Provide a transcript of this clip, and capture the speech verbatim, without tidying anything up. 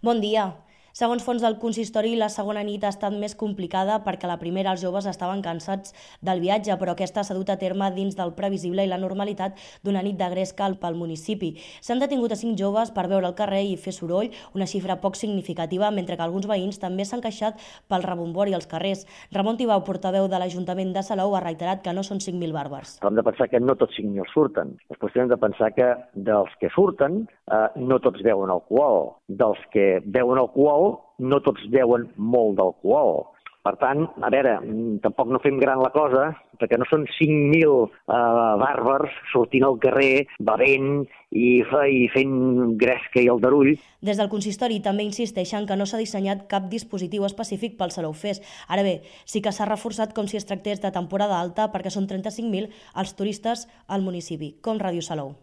Bon dia. Segons fons del consistori, la segona nit ha estat més complicada perquè la primera els joves estaven cansats del viatge, però aquesta s'ha dut a terme dins del previsible i la normalitat d'una nit de gresca pel municipi. S'han detingut a cinc joves per veure el carrer i fer soroll, una xifra poc significativa, mentre que alguns veïns també s'han queixat pel rebombori als carrers. Ramon Tibau, portaveu de l'Ajuntament de Salou, ha reiterat que no són cinc mil bàrbars. Hem de pensar que no tots cinc mil surten. Després hem de pensar que dels que surten eh, no tots beuen alcohol. Dels que beuen alcohol no tots beuen molt d'alcohol. Per tant, a veure, tampoc no fem gran la cosa, perquè no són cinc mil eh, bàrbars sortint al carrer, bevent i, i fent gresca i aldarull. Des del consistori també insisteixen que no s'ha dissenyat cap dispositiu específic pel Salou Fest. Ara bé, sí que s'ha reforçat com si es tractés de temporada alta perquè són trenta-cinc mil els turistes al municipi, com Ràdio Salou.